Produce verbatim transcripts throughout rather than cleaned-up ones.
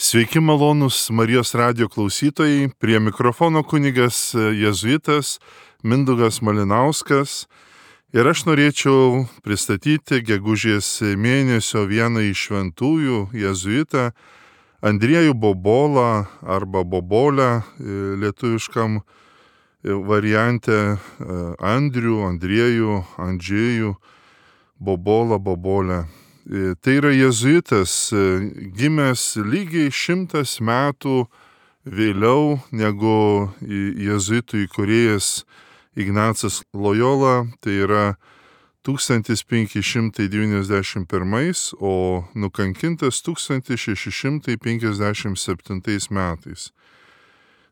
Sveiki malonūs Marijos radijo klausytojai, prie mikrofono kunigas jėzuitas Mindaugas Malinauskas ir aš norėčiau pristatyti gegužės mėnesio vieną iš šventųjų jėzuitą Andriejų Bobolą arba Bobolę lietuviškam variante Andrių, Andriejų, Andžėjų, Bobolą, Bobolę. Tai yra jėzuitas, gimęs lygiai šimtas metų vėliau negu jėzuitų įkūrėjas Ignacas Lojola, tai yra tūkstantis penki šimtai devyniasdešimt pirmais, o nukankintas tūkstantis šeši šimtai penkiasdešimt septintais metais.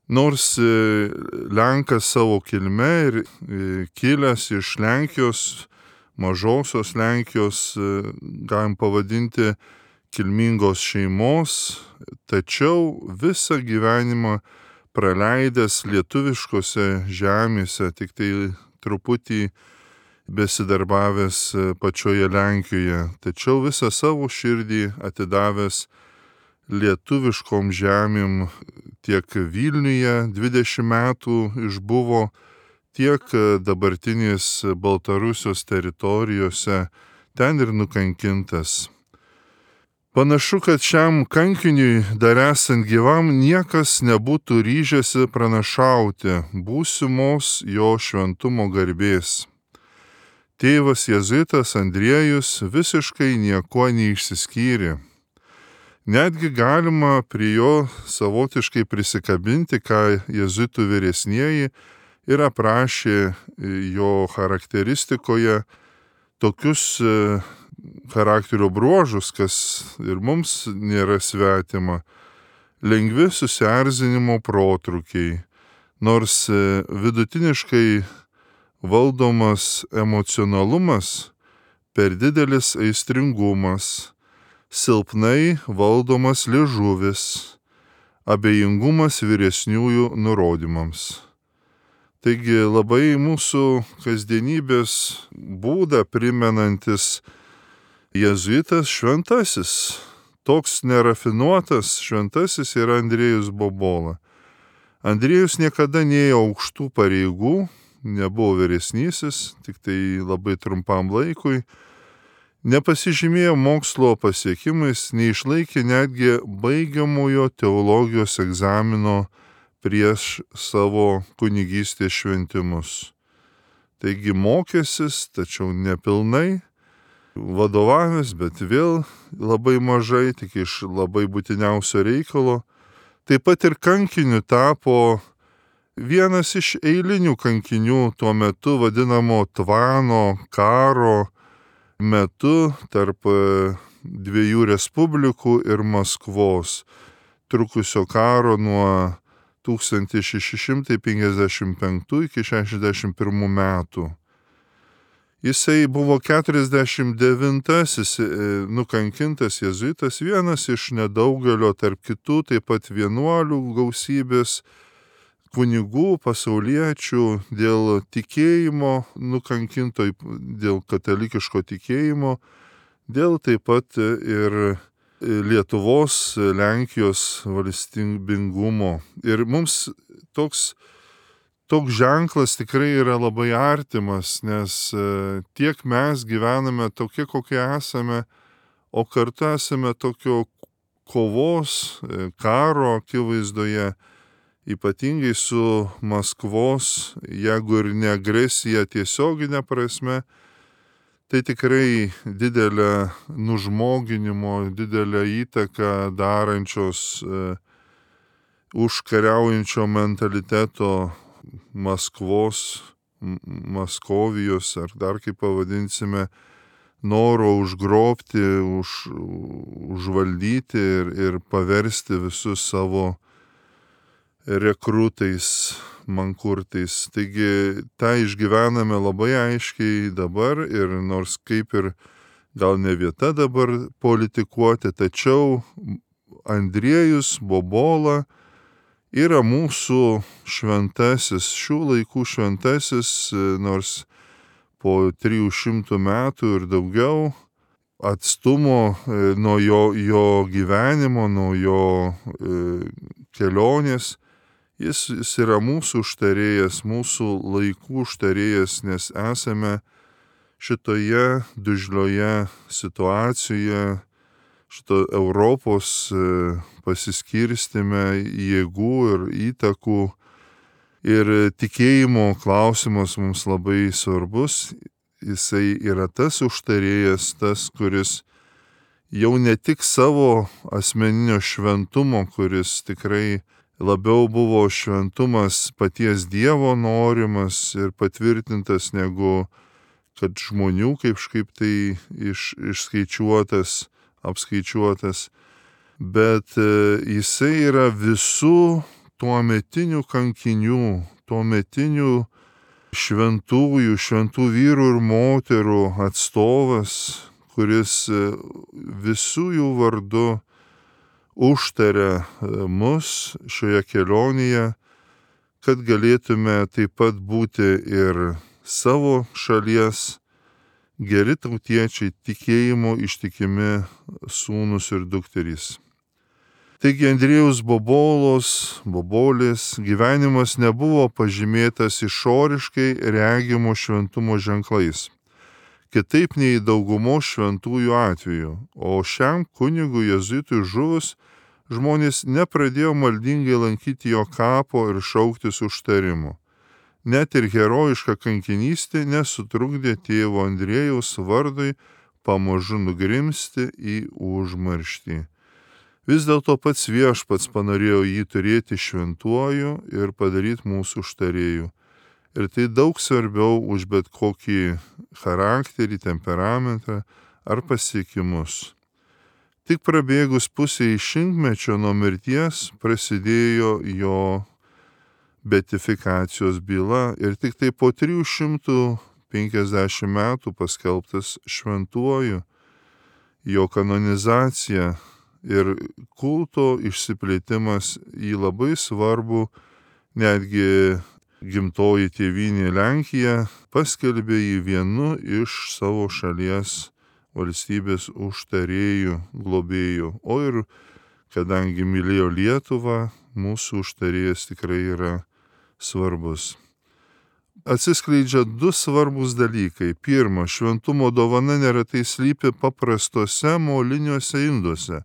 Nors Lenkas savo kilme ir kilęs iš Lenkijos, mažosios Lenkijos, galim pavadinti kilmingos šeimos, tačiau visą gyvenimą praleidęs lietuviškose žemėse, tik tai truputį besidarbavęs pačioje Lenkijoje, tačiau visą savo širdį atidavęs lietuviškom žemėm, tiek Vilniuje dvidešimt metų išbuvo, tiek dabartinės Baltarusijos teritorijose, ten ir nukankintas. Panašu, kad šiam kankiniui dar esant gyvam niekas nebūtų ryžęsi pranašauti būsimos jo šventumo garbės. Tėvas jėzuitas Andriejus visiškai niekuo neišsiskyrė. Netgi galima prie jo savotiškai prisikabinti, ką jėzuitų vyresnieji ir aprašė jo charakteristikoje tokius charakterio bruožus, kas ir mums nėra svetima. Lengvi susierzinimo protrūkiai, nors vidutiniškai valdomas emocionalumas, per didelis aistringumas, silpnai valdomas liežuvis, abejingumas vyresniųjų nurodymams. Taigi labai mūsų kasdienybės būdą primenantis jėzuitas šventasis. Toks nerafinuotas šventasis yra Andriejus Bobola. Andriejus niekada neėjo aukštų pareigų, nebuvo vyresnysis, tik tai labai trumpam laikui. Nepasižymėjo mokslo pasiekimais, neišlaikė netgi baigiamojo teologijos egzamino prieš savo kunigystės šventimus. Taigi mokėsis, tačiau nepilnai, vadovavęs, bet vėl labai mažai, tik iš labai būtiniausio reikalo. Taip pat ir kankiniu tapo vienas iš eilinių kankinių tuo metu vadinamo tvano karo metu tarp dviejų respublikų ir Maskvos, trukusio karo nuo tūkstantis šeši šimtai penkiasdešimt penktų iki šešiasdešimt pirmų metų. Jisai buvo keturiasdešimt devintasis nukankintas jėzuitas, vienas iš nedaugelio tarp kitų, taip pat vienuolių gausybės kunigų, pasauliečių dėl tikėjimo nukankinto, dėl katalikiško tikėjimo, dėl taip pat ir Lietuvos, Lenkijos valstybingumo. Ir mums toks, toks ženklas tikrai yra labai artimas, nes tiek mes gyvename tokie, kokie esame, o kartu esame tokio kovos, karo akivaizdoje, ypatingai su Maskvos, jeigu ir ne agresija tiesioginė prasme, tai tikrai didelę nužmoginimo, didelę įtaką darančios e, užkariaujančio mentaliteto Maskvos, Maskovijos, ar dar kaip pavadinsime, noro užgrobti, už, užvaldyti ir, ir paversti visus savo rekrutais, mankurtais. Taigi tą išgyvename labai aiškiai dabar ir nors kaip ir gal ne vieta dabar politikuoti, tačiau Andriejus Bobola yra mūsų šventasis, šių laikų šventasis, nors po trijų šimtų metų ir daugiau atstumo nuo jo, jo gyvenimo, nuo jo kelionės. Jis, jis yra mūsų užtarėjas, mūsų laikų užtarėjas, nes esame šitoje dužlioje situacijoje, šito Europos pasiskirstime jėgų ir įtakų. Ir tikėjimo klausimas mums labai svarbus. Jisai yra tas užtarėjas, tas, kuris jau ne tik savo asmeninio šventumo, kuris tikrai labiau buvo šventumas paties Dievo norimas ir patvirtintas, negu kad žmonių kažkaip tai iš, išskaičiuotas, apskaičiuotas, bet jisai yra visų tuometinių kankinių, tuometinių šventųjų, šventų vyrų ir moterų atstovas, kuris visų jų vardu užtaria mus šioje kelionėje, kad galėtume taip pat būti ir savo šalies geri tautiečiai, tikėjimo ištikimi sūnus ir dukterys. Taigi Andriejaus Bobolos, Bobolės gyvenimas nebuvo pažymėtas išoriškai regimo šventumo ženklais, kitaip nei daugumos šventųjų atveju, o šiam kunigui jėzuitui žuvus žmonės nepradėjo maldingai lankyti jo kapo ir šauktis užtarimo. Net ir herojiška kankinystė nesutrukdė tėvo Andriejaus vardui pamažu nugrimsti į užmarštį. Vis dėlto pats viešpats panorėjo jį turėti šventuoju ir padaryti mūsų užtarėju. Ir tai daug svarbiau už bet kokį charakterį, temperamentą ar pasiekimus. Tik prabėgus pusiai šimtmečio nuo mirties prasidėjo jo beatifikacijos byla ir tik tai po trijų šimtų penkiasdešimt metų paskelbtas šventuoju. Jo kanonizacija ir kulto išsiplėtimas į labai svarbu, netgi gimtoji tėvynė Lenkija paskelbė jį vienu iš savo šalies valstybės užtarėjų, globėjų. O ir kadangi mylėjo Lietuvą, mūsų užtarėjas tikrai yra svarbus. Atsiskleidžia du svarbus dalykai. Pirma, šventumo dovana neretai slypi paprastuose moliniuose induose,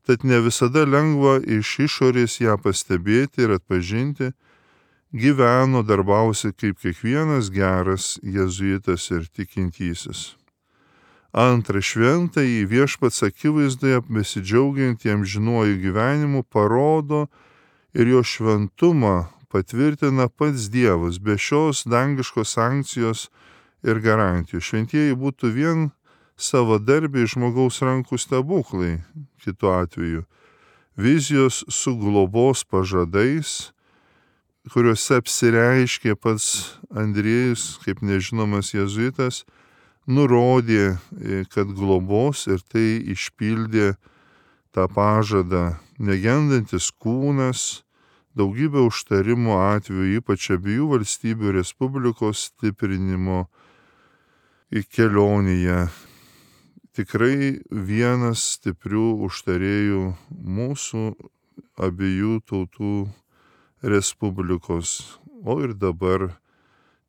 tad ne visada lengva iš išorės ją pastebėti ir atpažinti. Gyveno, darbavosi kaip kiekvienas geras jėzuitas ir tikintysis. Antra, šventąjį viešpats akivaizdoje besidžiaugiantiem žinuoju gyvenimu parodo ir jo šventumą patvirtina pats Dievas, be šios dangiškos sankcijos ir garantijų. Šventieji būtų vien savadarbiai žmogaus rankų stebuklai, kitu atveju. Vizijos su globos pažadais, kuriuose apsireiškė pats Andriejus, kaip nežinomas jėzuitas, nurodė, kad globos ir tai išpildė tą pažadą. Negendantis kūnas, daugybė užtarimo atvejų, ypač abiejų valstybių respublikos stiprinimo kelionėje. Tikrai vienas stiprių užtarėjų mūsų abiejų tautų respublikos, o ir dabar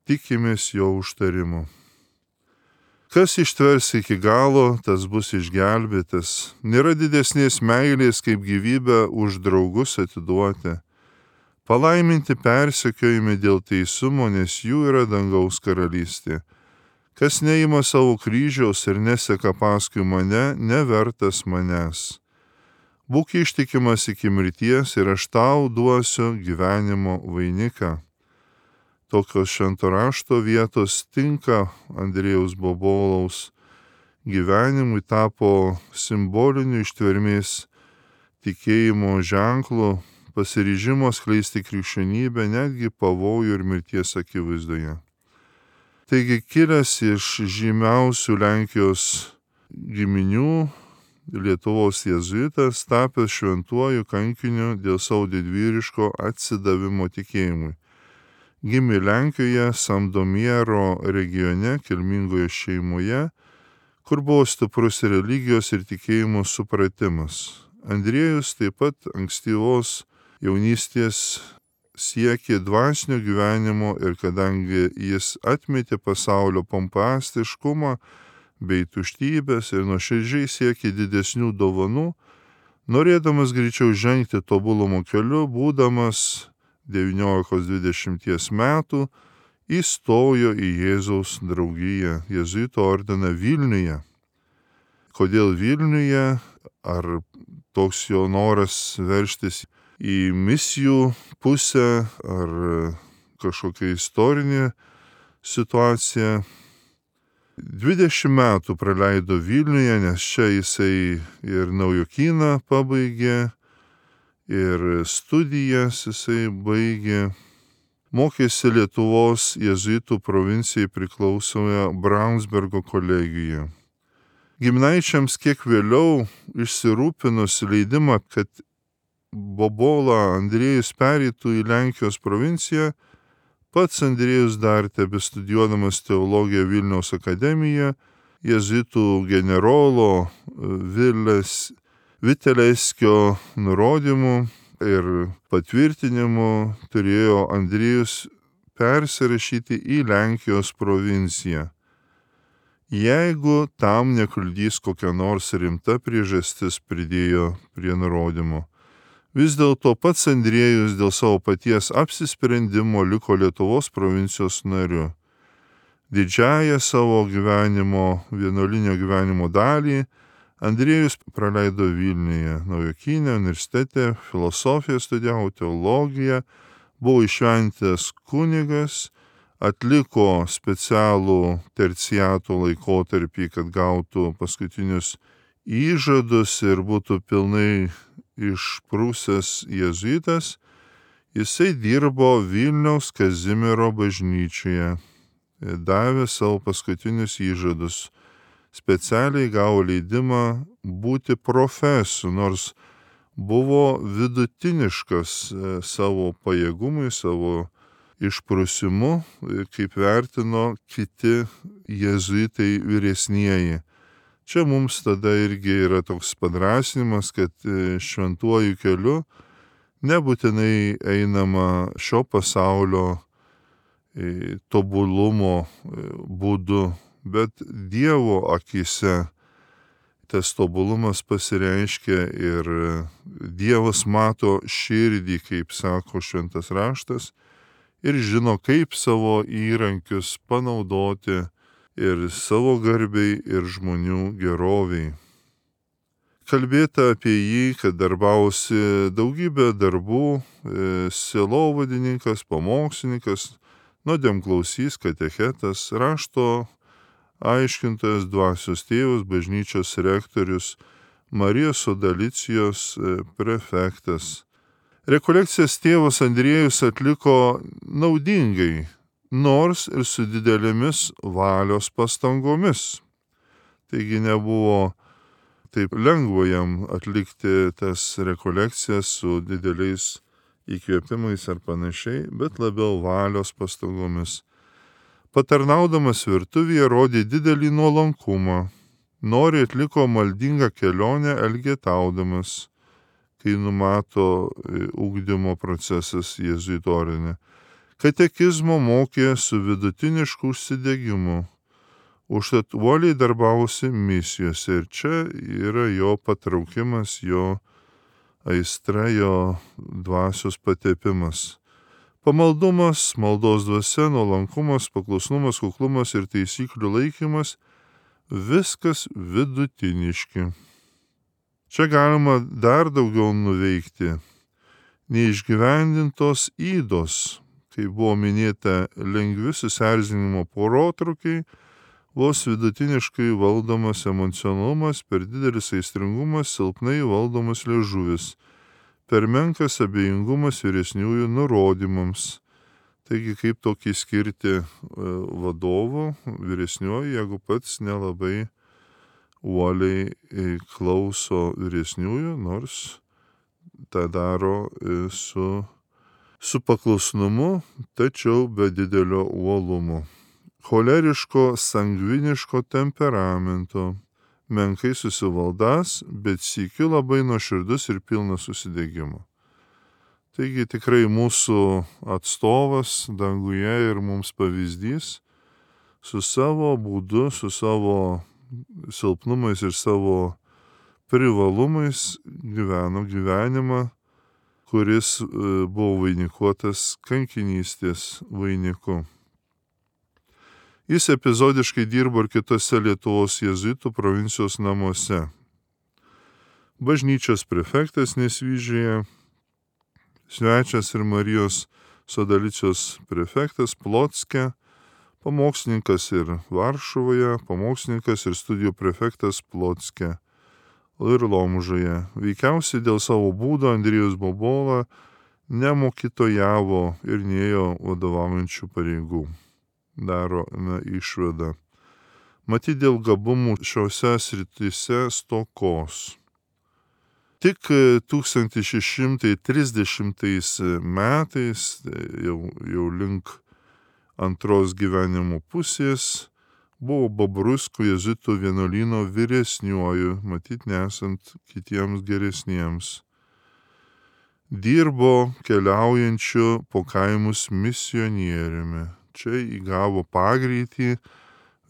tikimės jo užtarimo. Kas ištvers iki galo, tas bus išgelbėtas. Nėra didesnės meilės, kaip gyvybę už draugus atiduoti. Palaiminti persekiojami dėl teisumo, nes jų yra dangaus karalystė. Kas neima savo kryžiaus ir neseka paskui mane, nevertas manęs. Būk ištikimas iki mirties ir aš tau duosiu gyvenimo vainiką. Tokios švento rašto vietos tinka Andriejaus Bobolaus gyvenimui, tapo simboliniu ištvermės tikėjimo ženklu, pasiryžimo skleisti krikščionybę netgi pavojų ir mirties akivaizdoje. Taigi kilęs iš žymiausių Lenkijos giminių, Lietuvos jėzuitas, tapęs šventuoju kankiniu dėl savo didvyriško atsidavimo tikėjimui. Gimė Lenkijoje, Sandomiero regione, kilmingoje šeimoje, kur buvo stiprus religijos ir tikėjimo supratimas. Andriejus taip pat ankstyvos jaunystės siekė dvasinio gyvenimo ir kadangi jis atmetė pasaulio pompastiškumą bei tuštybės ir nuoširdžiai siekė didesnių dovanų, norėdamas greičiau žengti tobulumo keliu, būdamas devyniolikos dvidešimties metų, įstojo į Jėzaus draugiją, jėzuitų ordiną Vilniuje. Kodėl Vilniuje? Ar toks jo noras veržtis į misijų pusę, ar kažkokia istorinė situacija? dvidešimt metų praleido Vilniuje, nes čia jisai ir naujokyną pabaigė, ir studijas jisai baigė. Mokėsi Lietuvos jėzuitų provincijai priklausomoje Braunsbergo kolegijoje. Giminaičiams kiek vėliau išsirūpinus leidimą, kad Bobola Andriejus pereitų į Lenkijos provinciją, pats Andriejus dar tebestudijuodamas teologiją Vilniaus akademijoje, jėzuitų generolo Vilės Viteleskio nurodymu ir patvirtinimu turėjo Andriejus persirašyti į Lenkijos provinciją, jeigu tam nekliudys kokia nors rimta priežastis, pridėjo prie nurodymo. Vis dėlto pats Andriejus dėl savo paties apsisprendimo liko Lietuvos provincijos nariu. Didžiąją savo gyvenimo, vienuolinio gyvenimo dalį Andriejus praleido Vilniuje, Naujokyne universitete, filosofiją studijavo, teologiją, buvo įšventęs kunigas, atliko specialų terciato laikotarpį, kad gautų paskutinius įžadus ir būtų pilnai išprūsęs jėzuitas. Jisai dirbo Vilniaus Kazimiero bažnyčioje, davė savo paskutinius įžadus. Specialiai gavo leidimą būti profesu, nors buvo vidutiniškas savo pajėgumui, savo išprusimu, kaip vertino kiti jėzuitai vyresnieji. Čia mums tada irgi yra toks padrasinimas, kad šventuoju keliu nebūtinai einama šio pasaulio tobulumo būdu, bet Dievo akyse tas tobulumas pasireiškia ir Dievas mato širdį, kaip sako šventas raštas, ir žino, kaip savo įrankius panaudoti ir savo garbei, ir žmonių geroviai. Kalbėta apie jį, kad darbavosi daugybę darbų, sielovadininkas, pamokslininkas, nuodėmklausys, katechetas, rašto aiškintojas, dvasios tėvas, bažnyčios rektorius, Marijos Sodalicijos prefektas. Rekolekcijas tėvas Andriejus atliko naudingai, nors ir su didelėmis valios pastangomis. Taigi nebuvo taip lengva jam atlikti tas rekolekcijas su dideliais įkvėpimais ar panašiai, bet labiau valios pastangomis. Patarnaudamas virtuvėje rodė didelį nuolankumą, nori atliko maldingą kelionę elgetaudamas, kai numato ugdymo procesas jėzuitų ordine. Katekizmo mokė su vidutinišku užsidegimu, užtat uoliai darbavosi misijose ir čia yra jo patraukimas, jo aistra, jo dvasios patepimas. Pamaldumas, maldos dvasia, nuolankumas, paklusnumas, kuklumas ir taisyklių laikymas – viskas vidutiniški. Čia galima dar daugiau nuveikti. Neišgyvendintos ydos, kai buvo minėta lengvi susierzinimo protrūkiai, vos vidutiniškai valdomas emocionalumas, per didelis aistringumas, silpnai valdomas liežuvis, per menkas abejingumas vyresniųjų nurodymams. Taigi kaip tokį skirti vadovo vyresnioji, jeigu pats nelabai uoliai klauso vyresniųjų, nors tą daro su, su paklusnumu, tačiau be didelio uolumo. choleriško, sangviniško temperamento, menkai susivaldas, bet sykiu labai nuoširdus ir pilnas susidegimo. Taigi tikrai mūsų atstovas danguje ir mums pavyzdys su savo būdu, su savo silpnumais ir savo privalumais gyveno gyvenimą, kuris buvo vainikuotas kankinystės vainiku. Jis epizodiškai dirbo ir kitose Lietuvos jėzuitų provincijos namuose. Bažnyčios prefektas Nesvyžiuje, svečias ir Marijos Sodalicijos prefektas Plotske, pamokslininkas ir Varšuvoje, pamokslininkas ir studijų prefektas Plotske ir Lomžoje. Veikiausiai dėl savo būdo Andriejus Bobola nemokytojavo ir nėjo vadovaujančių pareigų. Darome išvadą. Matyt, dėl gabumų šiose srityse stokos. Tik tūkstantis šeši šimtai trisdešimtais metais, jau, jau link antros gyvenimo pusės, buvo Bobruisko jėzuitų vienuolyno vyresniuoju, matyt, nesant kitiems geresniems. Dirbo keliaujančiu po kaimus misionieriumi. Čia įgavo pagreitį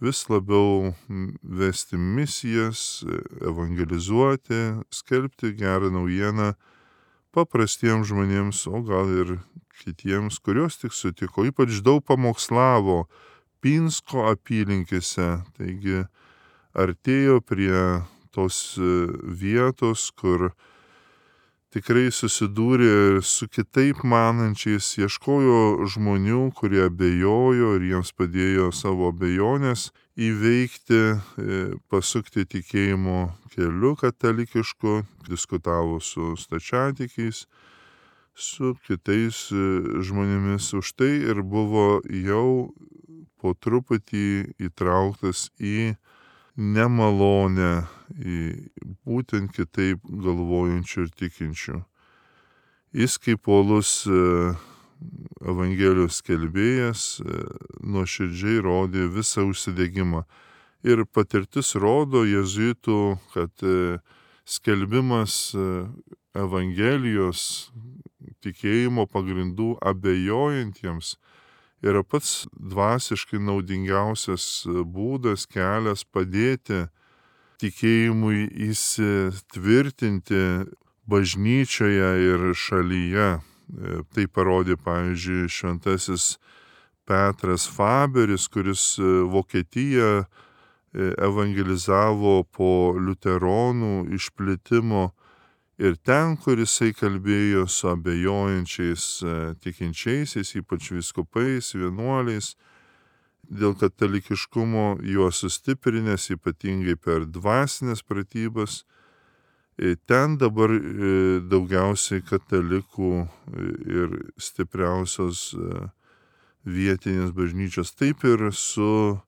vis labiau vesti misijas, evangelizuoti, skelbti gerą naujieną paprastiems žmonėms, o gal ir kitiems, kuriuos tik sutiko. Ypač daug pamokslavo Pinsko apylinkėse, taigi artėjo prie tos vietos, kur tikrai susidūrė su kitaip manančiais, ieškojo žmonių, kurie abejojo ir jiems padėjo savo abejonės įveikti, pasukti tikėjimo keliu katalikišku, diskutavo su stačiatikiais, su kitais žmonėmis. Už tai ir buvo jau po truputį įtrauktas į nemalonę, į būtent kitaip galvojančių ir tikinčių. Jis kaip uolus Evangelijos skelbėjas nuoširdžiai rodė visą užsidegimą. Ir patirtis rodo jėzuitų, kad skelbimas Evangelijos tikėjimo pagrindų abejojantiems yra pats dvasiškai naudingiausias būdas, kelias padėti tikėjimui įsitvirtinti bažnyčioje ir šalyje. Tai parodė, pavyzdžiui, šventasis Petras Faberis, kuris Vokietiją evangelizavo po liuteronų išplitimo. Ir ten, kur jisai kalbėjo su abejojančiais tikinčiaisiais, ypač vyskupais, vienuoliais, dėl katalikiškumo juos sustiprinęs, ypatingai per dvasinės pratybas, ten dabar daugiausiai katalikų ir stipriausios vietinės bažnyčios. Taip ir su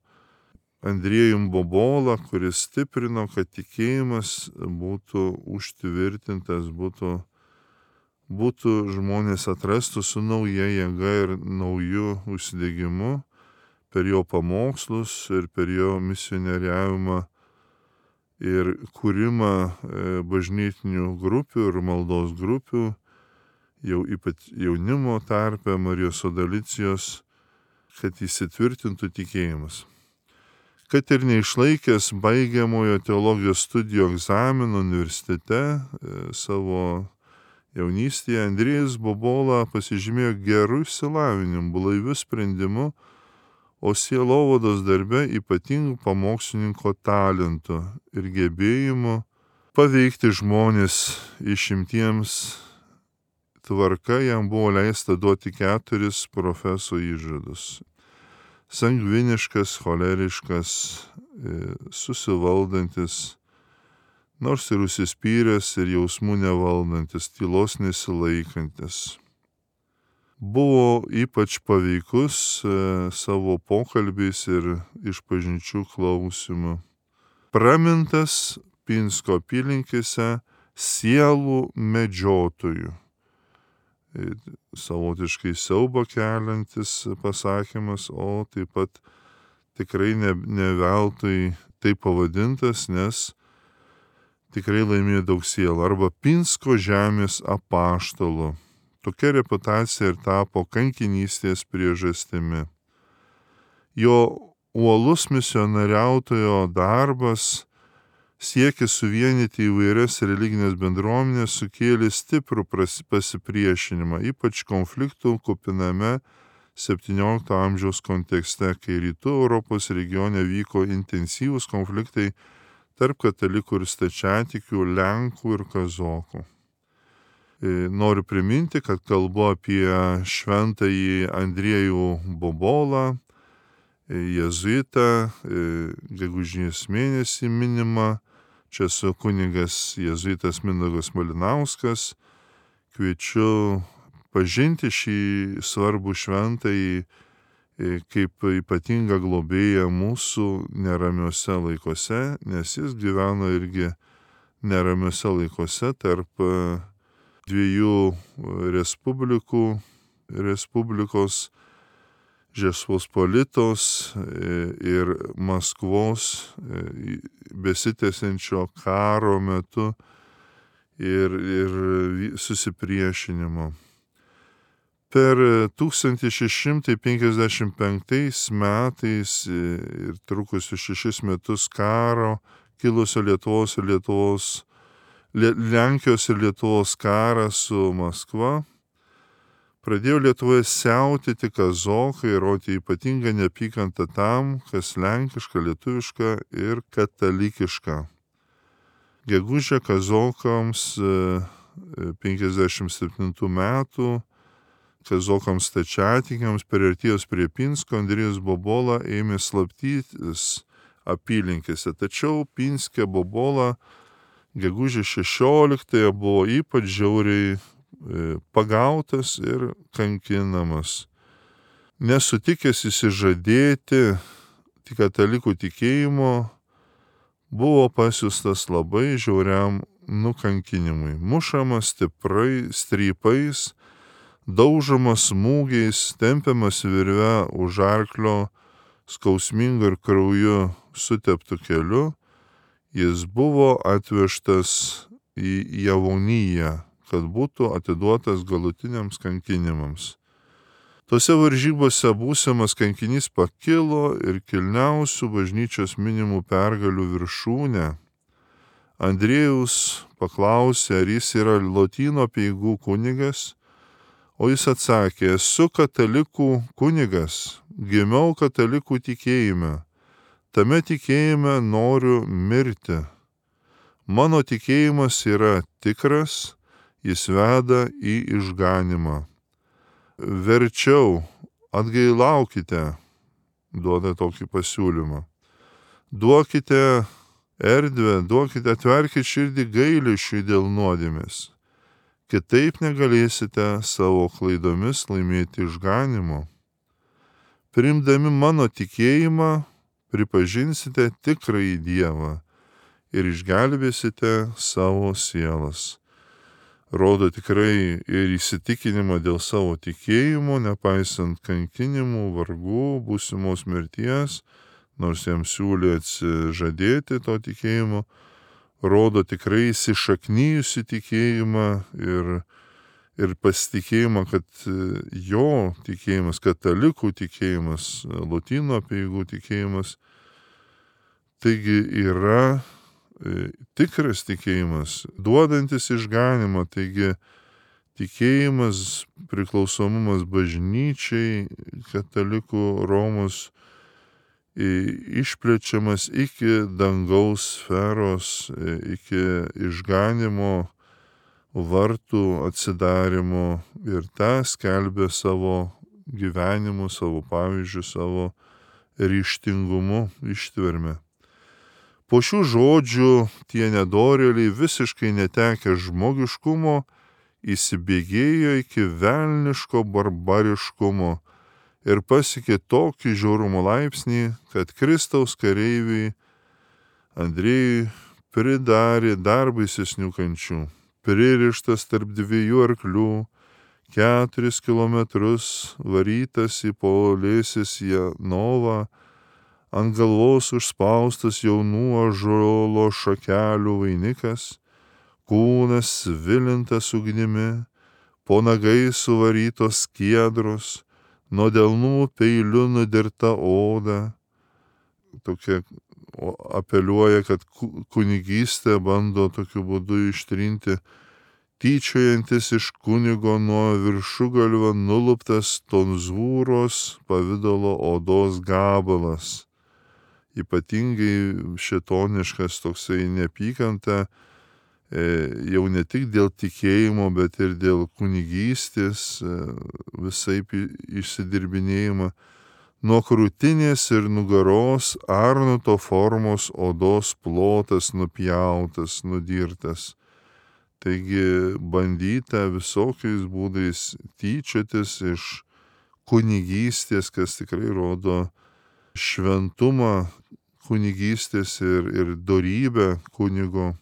Andriejum Bobola, kuris stiprino, kad tikėjimas būtų užtvirtintas, būtų, būtų žmonės atrastų su nauja jėga ir nauju užsidegimu per jo pamokslus ir per jo misionieriavimą ir kūrimą bažnytinių grupių ir maldos grupių, jau ypač jaunimo tarpe, Marijos Sodalicijos, kad įsitvirtintų tikėjimas. Kad ir neišlaikęs baigiamojo teologijos studijų egzamino universitete savo jaunystėje, Andriejus Bobola pasižymėjo gerų išsilavinimu, blaiviu sprendimu, o sielovados darbe ypatingų pamokslininko talentu ir gebėjimu paveikti žmonės išimtiems. Tvarka jam buvo leista duoti keturis profeso įžadus. Sangviniškas, choleriškas, susivaldantis, nors ir užsispyręs ir jausmų nevaldantis, tylos nesilaikantis. Buvo ypač paveikus savo pokalbiais ir išpažinčių klausimu. Pramintas Pinsko apylinkėse sielų medžiotojų. Savotiškai siaubą keliantis pasakymas, o taip pat tikrai ne, ne veltui taip pavadintas, nes tikrai laimėjo daug sielų. Arba Pinsko žemės apaštalu. Tokia reputacija ir tapo kankinystės priežastimi. Jo uolus misionariautojo darbas, siekis suvienyti įvairias religinės bendruomenės, sukėlė stiprų pasipriešinimą, ypač konfliktų kupiname septyniolikto amžiaus kontekste, kai rytų Europos regione vyko intensyvūs konfliktai tarp katalikų ir stačiatikių, lenkų ir kazokų. Noriu priminti, kad kalbu apie šventąjį Andriejų Bobolą, jėzuitą, gegužės mėnesį minimą. Čia su kunigas jėzuitas Mindaugas Malinauskas. Kviečiu pažinti šį svarbų šventąjį kaip ypatingą globėją mūsų neramiuose laikuose, nes jis gyveno irgi neramiuose laikuose tarp dviejų respublikų, Respublikos Žečpospolitos ir Maskvos besitęsiančio karo metu ir, ir susipriešinimo. Per tūkstantis šeši šimtai penkiasdešimt penktais metais ir trukusius šešis metus karo kilusio Lietuvos ir Lietuvos, Lenkijos ir Lietuvos karą su Maskva, pradėjo Lietuvoje siautėti kazokai ir rodyti ypatingą neapykantą tam, kas lenkiška, lietuviška ir katalikiška. Gegužę kazokams penkiasdešimt septintų metų, kazokams stačiatikiams priartėjus prie Pinsko, Andriejus Bobola ėmė slaptytis apylinkėse. Tačiau Pinske Bobola gegužės šešioliktąją buvo ypač žiauriai pagautas ir kankinamas. Nesutikęs įsižadėti katalikų tikėjimo, buvo pasiustas labai žiauriam nukankinimui. Mušamas stiprai, strypais, daužomas smūgiais, tempiamas virve už arklio skausmingu ir krauju suteptu keliu. Jis buvo atvežtas į Javoniją, kad būtų atiduotas galutiniams kankinimams. Tose varžybose būsimas kankinys pakilo ir kilniausių bažnyčios minimų pergalių viršūnę. Andriejus paklausė, ar jis yra Lotynų apeigų kunigas, o jis atsakė, esu katalikų kunigas, gimiau katalikų tikėjime. Tame tikėjime noriu mirti. Mano tikėjimas yra tikras, jis veda į išganimą. Verčiau atgailaukite, duoda tokį pasiūlymą. Duokite erdvę, duokite, atverkite širdį gailesčiui dėl nuodėmės. Kitaip negalėsite savo klaidomis laimėti išganimo. Priimdami mano tikėjimą, pripažinsite tikrąjį Dievą ir išgelbėsite savo sielas. Rodo tikrai ir įsitikinimą dėl savo tikėjimo, nepaisant kankinimų, vargų, būsimos mirties, nors jam siūlė atsižadėti to tikėjimo, rodo tikrai įsišaknyjusi tikėjimą ir, ir pasitikėjimą, kad jo tikėjimas, katalikų tikėjimas, Lotynų apeigų tikėjimas, taigi yra tikras tikėjimas, duodantis išganimą, taigi tikėjimas, priklausomumas bažnyčiai, katalikų Romos išplečiamas iki dangaus sferos, iki išganimo vartų atsidarimo ir tą skelbė savo gyvenimu, savo pavyzdžiu, savo ryžtingumu, ištverme. Po šių žodžių tie nedorėliai visiškai netekę žmogiškumo įsibėgėjo iki velniško barbariškumo ir pasiekė tokį žiaurumo laipsnį, kad Kristaus kareiviai Andriejui pridarė dar baisesnių kančių. Pririštas tarp dviejų arklių, keturis kilometrus varytas į Polėsis Janovą, ant galvos užspaustas jaunų ąžuolo šakelių vainikas, kūnas svilintas ugnimi, po nagais suvarytos skiedros, nuo delnų peiliu nudirta oda. Tokia apeliuoja, kad kunigystė bando tokiu būdu ištrinti tyčiojantis iš kunigo nuo viršugalvio nuluptas tonzūros pavidalo odos gabalas. Ypatingai šėtoniškas toksai neapykanta, e, jau ne tik dėl tikėjimo, bet ir dėl kunigystės, e, visaip išsidirbinėjimą. Nuo krūtinės ir nugaros arnuto formos odos plotas nupjautas, nudirtas. Taigi bandyta visokiais būdais tyčiotis iš kunigystės, kas tikrai rodo šventumą kunigystės ir, ir dorybę kunigo.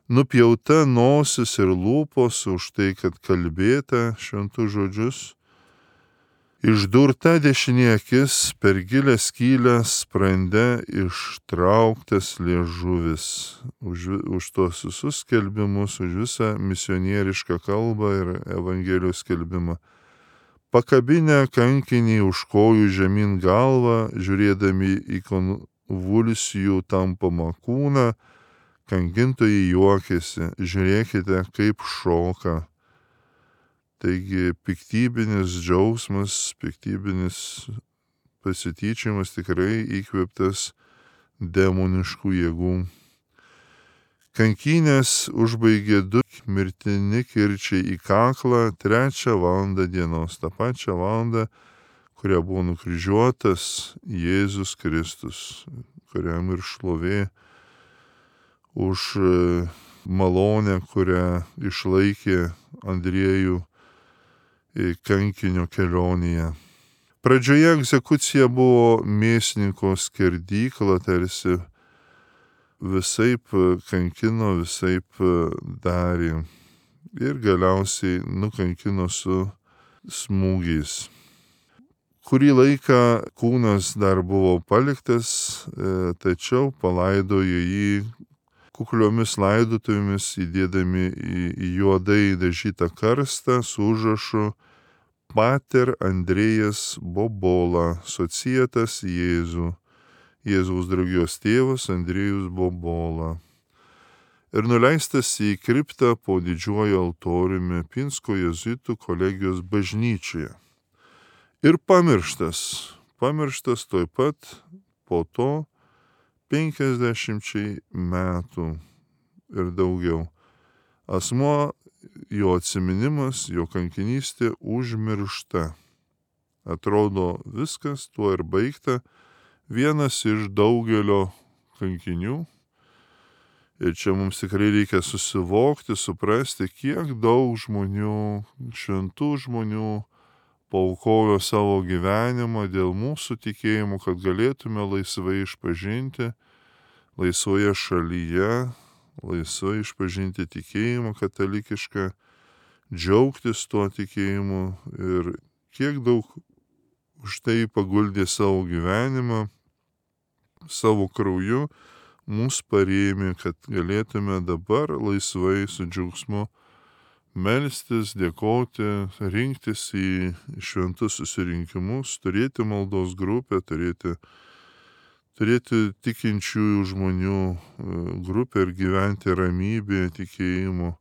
Nupjauta nosis ir lūpos už tai, kad kalbėta šventus žodžius. Išdurta dešinė akis, per gilę skylę sprande ištrauktas liežuvis. Už, už tos visus skelbimus, už visą misionierišką kalbą ir Evangelijos skelbimą. Pakabinę kankinį už kojų žemyn galvą, žiūrėdami į konvulsijų tampamą kūną, kankintojai juokėsi, žiūrėkite, kaip šoka. Taigi piktybinis džiaugsmas, piktybinis pasityčiamas tikrai įkvėptas demoniškų jėgų. Kankynės užbaigė du mirtini kirčiai į kaklą trečią valandą dienos, tą pačią valandą, kurią buvo nukryžiuotas Jėzus Kristus, kuriam ir šlovė už malonę, kurią išlaikė Andriejų kankinio kelionėje. Pradžioje egzekucija buvo mėsininko skerdykla, tarsi visaip kankino, visaip darė ir galiausiai nukankino su smūgiais. Kurį laiką kūnas dar buvo paliktas, tačiau palaidojo jį kukliomis laidotuvėmis, įdėdami į, į juodai dažytą karstą su užrašu Pater Andrėjas Bobola, societas Jėzų, Jėzaus draugijos tėvas Andrėjus Bobola. Ir nuleistas į kriptą po didžiuoju altoriumi Pinsko jėzuitų kolegijos bažnyčioje. Ir pamirštas, pamirštas tuoj pat po to penkiasdešimčiai metų ir daugiau. Asmuo, jo atsiminimas, jo kankinystė užmiršta. Atrodo viskas, tuo ir baigta. Vienas iš daugelio kankinių. Ir čia mums tikrai reikia susivokti, suprasti, kiek daug žmonių, šventų žmonių paaukojo savo gyvenimą dėl mūsų tikėjimų, kad galėtume laisvai išpažinti, laisvoje šalyje, laisvai išpažinti tikėjimą katalikišką, džiaugtis tuo tikėjimu ir kiek daug už tai paguldė savo gyvenimą, savo krauju, mus parėmė, kad galėtume dabar laisvai su džiaugsmu melstis, dėkoti, rinktis į šventus susirinkimus, turėti maldos grupę, turėti, turėti tikinčiųjų žmonių grupę ir gyventi ramybėje, tikėjimu.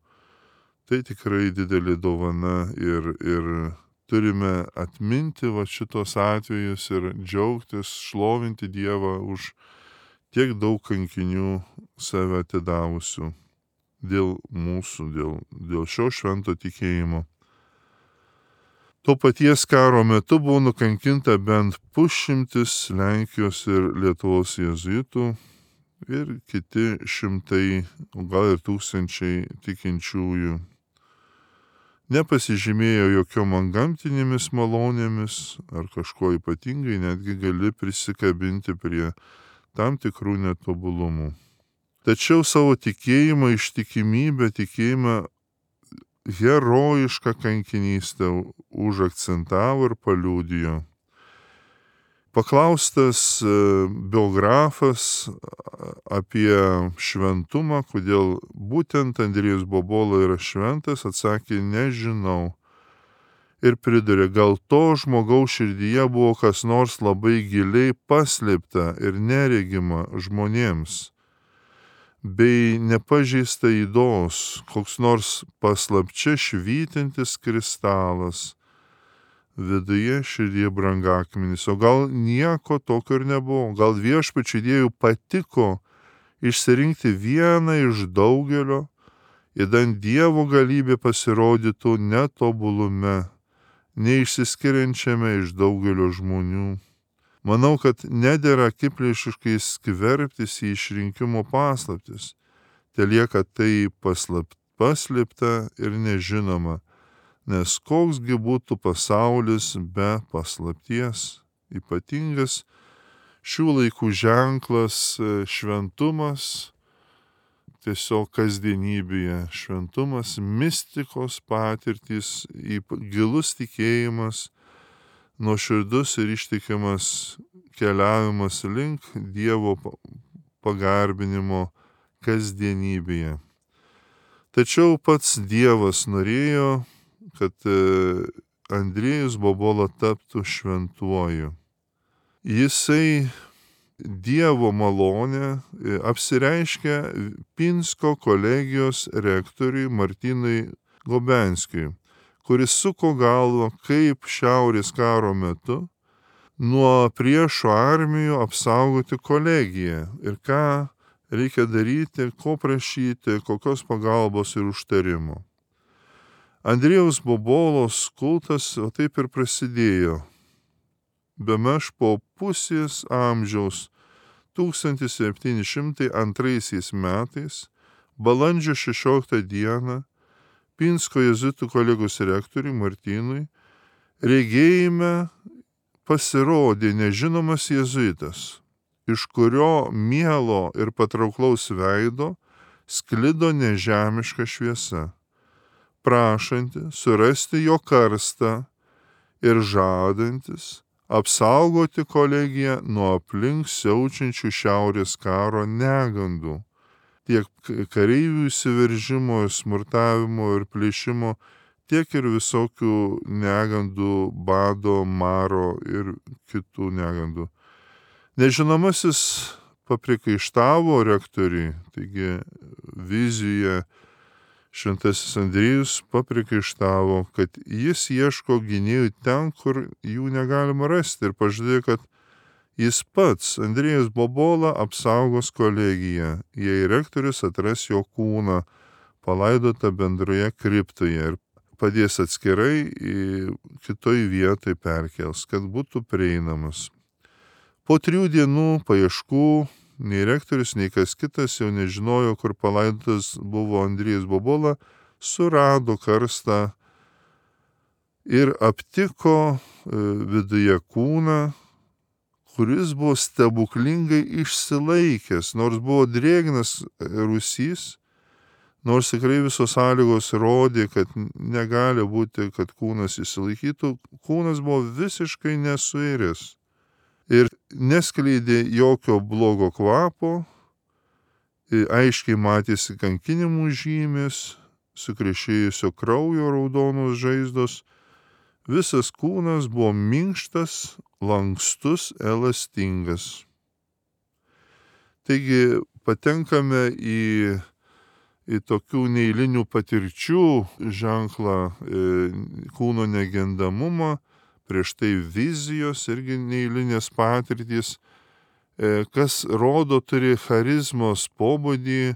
Tai tikrai didelė dovana ir, ir turime atminti va šitos atvejus ir džiaugtis, šlovinti Dievą už tiek daug kankinių save atidavusių. Dėl mūsų, dėl, dėl šio švento tikėjimo. Tuo paties karo metu buvo nukankinta bent pusšimtis Lenkijos ir Lietuvos jėzuitų ir kiti šimtai, gal ir tūkstančiai tikinčiųjų. Nepasižymėjo jokiom antgamtinėmis malonėmis ar kažko ypatingai, netgi gali prisikabinti prie tam tikrų netobulumų. Tačiau savo tikėjimą, ištikimybę, tikėjimą herojišką kankinystę užakcentavo ir paliudijo. Paklaustas biografas apie šventumą, kodėl būtent Andriejus Bobola yra šventas, atsakė, nežinau. Ir pridurė, gal to žmogaus širdyje buvo kas nors labai giliai paslėpta ir neregima žmonėms, bei nepažeista ydos, koks nors paslapčia švytintis kristalas, viduje širdyje brangakmenis. O gal nieko tokio ir nebuvo, gal viešpačiui Dievui patiko išsirinkti vieną iš daugelio, idant Dievo galybė pasirodytų netobulume, neišsiskiriančiame iš daugelio žmonių. Manau, kad nedėra akiplėšiškai skverbtis į išrinkimo paslaptis. Telieka tai paslap, paslėpta ir nežinoma, nes koksgi būtų pasaulis be paslapties. Ypatingas šių laikų ženklas šventumas, tiesiog kasdienybėje šventumas, mistikos patirtys, gilus tikėjimas, nuoširdus ir ištikimas keliavimas link Dievo pagarbinimo kasdienybėje. Tačiau pats Dievas norėjo, kad Andriejus Bobola taptų šventuoju. Jisai Dievo malonę apsireiškia Pinsko kolegijos rektoriui Martynui Gobenskiui, kuris suko galvą, kaip šiaurės karo metu nuo priešo armijų apsaugoti kolegiją ir ką reikia daryti, ko prašyti, kokios pagalbos ir užtarimo. Andriejaus Bobolos kultas o taip ir prasidėjo. Bemaž po pusės amžiaus tūkstantis septyni šimtai antraisiais metais, balandžio šešioliktą dieną, Pinsko jėzuitų kolegos rektoriui Martynui regėjime pasirodė nežinomas jėzuitas, iš kurio mielo ir patrauklaus veido sklido nežemiška šviesa, prašanti surasti jo karstą ir žadantis apsaugoti kolegiją nuo aplink siaučiančių šiaurės karo negandų, tiek kareivių įsiveržimo, smurtavimo ir plėšimo, tiek ir visokių negandų, bado, maro ir kitų negandų. Nežinomasis paprikaištavo rektoriui, taigi vizijoje šventasis Andriejus paprikaištavo, kad jis ieško gynėjų ten, kur jų negalima rasti, ir pažadėjo, kad jis pats, Andriejus Bobola, apsaugos kolegiją, jei rektorius atras jo kūną palaidotą bendroje kriptoje ir padės atskirai į kitoj vietoj perkels, kad būtų prieinamas. Po trijų dienų paieškų nei rektorius, nei kas kitas jau nežinojo, kur palaidotas buvo Andriejus Bobola, surado karstą ir aptiko viduje kūną, kuris buvo stebuklingai išsilaikęs, nors buvo drėgnas rūsys, nors tikrai visos sąlygos rodė, kad negali būti, kad kūnas išsilaikytų, kūnas buvo visiškai nesuiręs ir neskleidė jokio blogo kvapo, aiškiai matėsi kankinimų žymės, sukrešėjusio kraujo raudonos žaizdos, visas kūnas buvo minkštas, lankstus, elastingas. Taigi patenkame į, į tokių neeilinių patirčių ženklą, kūno negendamumą, prieš tai vizijos irgi neeilinės patirtys, kas rodo turi charizmos pobūdį,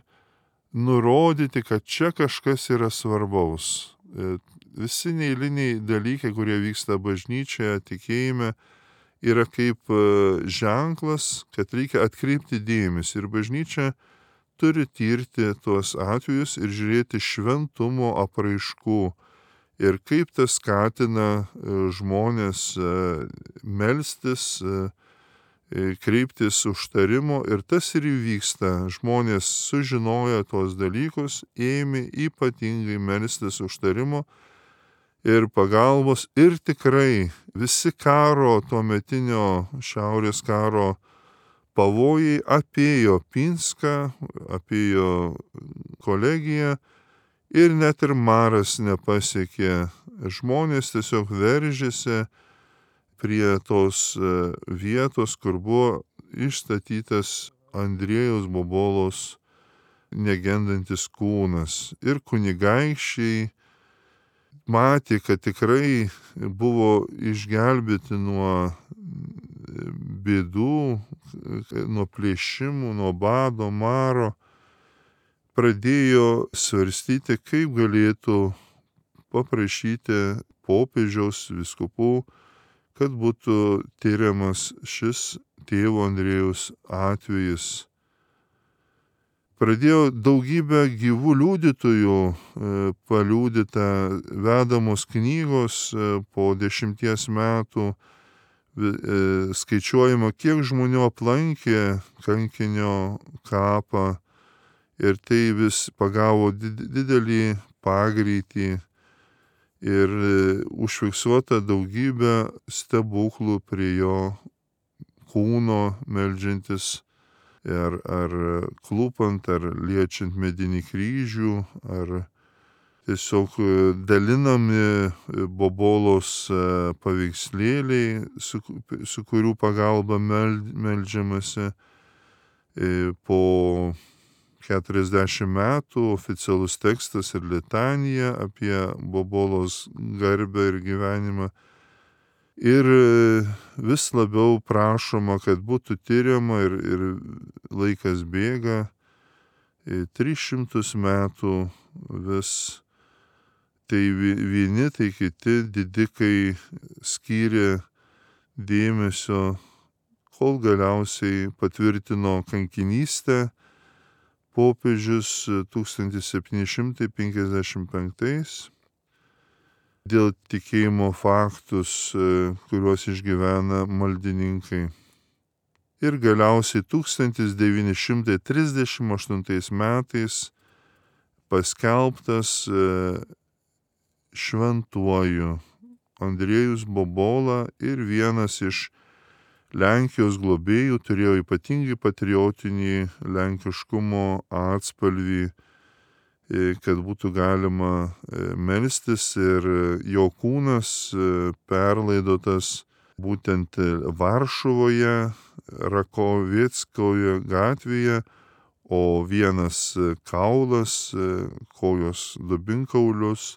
nurodyti, kad čia kažkas yra svarbaus. Visi neeiliniai dalykai, kurie vyksta bažnyčioje, tikėjime, yra kaip ženklas, kad reikia atkreipti dėmesį. Ir bažnyčia turi tirti tuos atvejus ir žiūrėti šventumo apraiškų. Ir kaip tas skatina žmonės melstis, kreiptis užtarimo, ir tas ir įvyksta. Žmonės sužinoję tuos dalykus, ėmė ypatingai melstis užtarimo ir pagalbos. Ir tikrai visi karo, tuometinio šiaurės karo pavojai apėjo Pinską, apėjo kolegiją ir net ir maras nepasiekė. Žmonės tiesiog veržėsi prie tos vietos, kur buvo išstatytas Andriejaus Bobolos negendantis kūnas. Ir kunigaikščiai matė, kad tikrai buvo išgelbėti nuo bėdų, nuo plėšimų, nuo bado, maro. Pradėjo svarstyti, kaip galėtų paprašyti popiežiaus, vyskupų, kad būtų tyriamas šis tėvo Andriejaus atvejis. Pradėjo daugybę gyvų liudytojų paliudyta, vedamos knygos po dešimties metų, skaičiuojama, kiek žmonių aplankė kankinio kapą ir tai vis pagavo didelį pagreitį ir užfiksuota daugybė stebuklų prie jo kūno meldžiantis, ar, ar klūpant, ar liečiant medinį kryžių, ar tiesiog dalinami Bobolos paveikslėliai, su, su kurių pagalba meld, meldžiamasi. Po keturiasdešimt metų oficialus tekstas ir litanija apie Bobolos garbę ir gyvenimą. Ir vis labiau prašoma, kad būtų tyriama ir, ir laikas bėga. tris šimtus metų vis tai vieni, tai kiti didikai skyrė dėmesio, kol galiausiai patvirtino kankinystę popiežius tūkstantis septyni šimtai penkiasdešimt penktais dėl tikėjimo faktus, kuriuos išgyvena maldininkai. Ir galiausiai tūkstantis devyni šimtai trisdešimt aštuntais metais paskelbtas šventuoju Andriejus Bobola ir vienas iš Lenkijos globėjų, turėjo ypatingai patriotinį lenkiškumo atspalvį, kad būtų galima melstis, ir jo kūnas perlaidotas būtent Varšuvoje, Rakovieckoje gatvėje, o vienas kaulas, kojos dubinkaulius,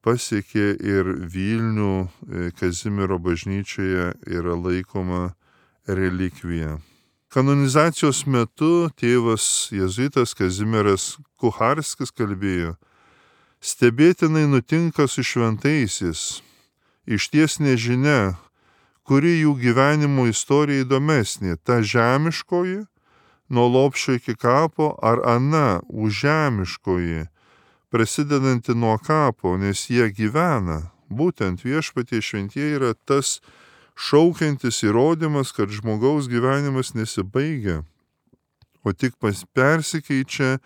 pasiekė ir Vilnių Kazimiero bažnyčioje yra laikoma relikvija. Kanonizacijos metu tėvas jėzuitas Kazimieras Kucharskis kalbėjo: stebėtinai nutinka su šventaisiais, išties nežinia, kuri jų gyvenimo istorija įdomesnė, ta žemiškoji, nuo lopšio iki kapo, ar ana užžemiškoji, prasidedanti nuo kapo, nes jie gyvena. Būtent viešpatie šventieji yra tas šaukiantis įrodymas, kad žmogaus gyvenimas nesibaigia, o tik persikeičia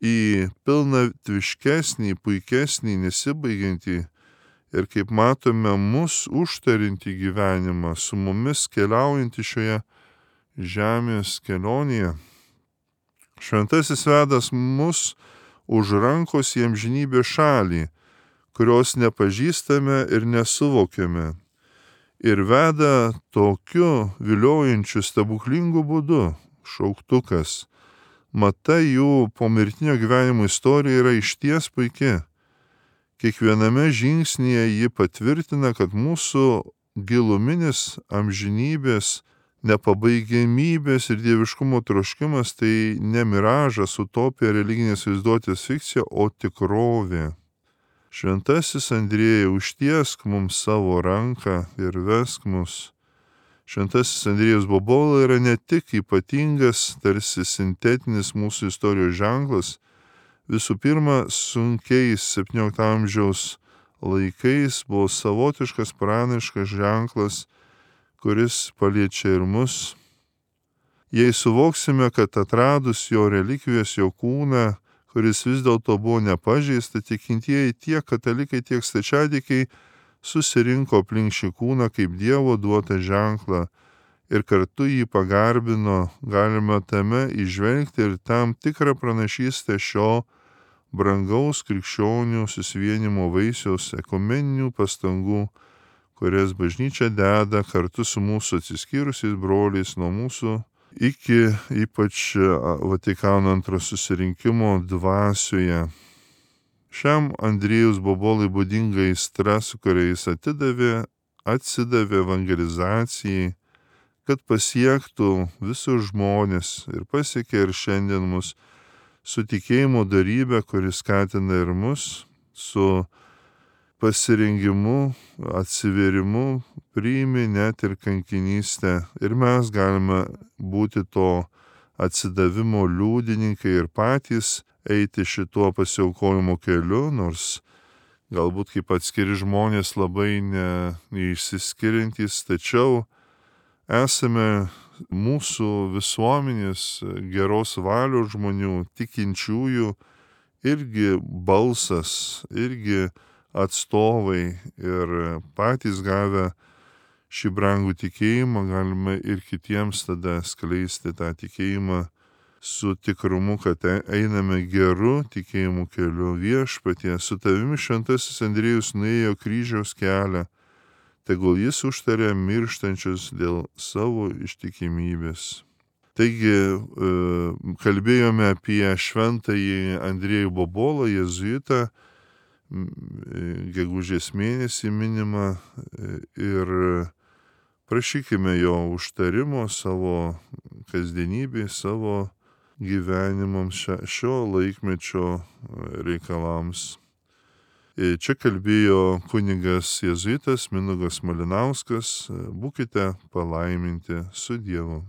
į pilnatviškesnį, puikesnį, nesibaigiantį ir, kaip matome, mus užtarinti gyvenimą, su mumis keliaujantį šioje žemės kelionėje. Šventasis vedas mus už rankos į amžinybės šalį, kurios nepažįstame ir nesuvokiame, ir veda tokiu viliojančiu stebuklingu būdu. Šauktukas. Mata jų pomirtinio gyvenimo istorija yra išties puiki. Kiekviename žingsnyje ji patvirtina, kad mūsų giluminis amžinybės, nepabaigiamybės ir dieviškumo troškimas tai ne miražas, utopija, religinės vaizduotės fikcija, o tikrovė. Šventasis Andriejau, užtiesk mums savo ranką ir vesk mus. Šventasis Andriejus Bobola yra ne tik ypatingas, tarsi sintetinis mūsų istorijos ženklas, visų pirma, sunkiais septyniolikto amžiaus laikais buvo savotiškas pranašiškas ženklas, kuris paliečia ir mus. Jei suvoksime, kad atradus jo relikvijas, jo kūną, kuris vis dėlto buvo nepažeista, tikintieji tiek katalikai, tiek stačiatikiai susirinko aplink šį kūną kaip Dievo duotą ženklą ir kartu jį pagarbino. Galima tame įžvelgti ir tam tikrą pranašystę šio brangaus krikščionių susivienimo vaisiaus ekumeninių pastangų, kurias bažnyčia deda kartu su mūsų atsiskyrusiais broliais nuo mūsų iki ypač Vatikano antro susirinkimo dvasioje. Šiam Andriejus Bobolai būdinga aistra, su kuria jis atidavė, atsidavė evangelizacijai, kad pasiektų visus žmonės ir pasiekė ir šiandien mus su tikėjimo darybė, kuris skatina ir mus su pasirengimu, atsivėrimu, priimi net ir kankinystę. Ir mes galime būti to atsidavimo liudininkai ir patys eiti šituo pasiaukojimo keliu, nors galbūt kaip atskiri žmonės labai ne, neišsiskiriantys, tačiau esame mūsų visuomenės geros valios žmonių, tikinčiųjų, irgi balsas, irgi atstovai ir patys gavę šį brangų tikėjimą galime ir kitiems tada skleisti tą tikėjimą su tikrumu, kad einame geru tikėjimų keliu. Viešpatie, su tavimi šventasis Andriejus nuėjo kryžiaus kelią, tegul jis užtarė mirštančius dėl savo ištikimybės. Taigi kalbėjome apie šventąjį Andriejų Bobolą, jėzuitą, gegužės mėnesį minimą, ir prašykime jo užtarimo savo kasdienybei, savo gyvenimams, šio laikmečio reikalams. Čia kalbėjo kunigas jėzuitas Mindaugas Malinauskas. Būkite palaiminti su Dievu.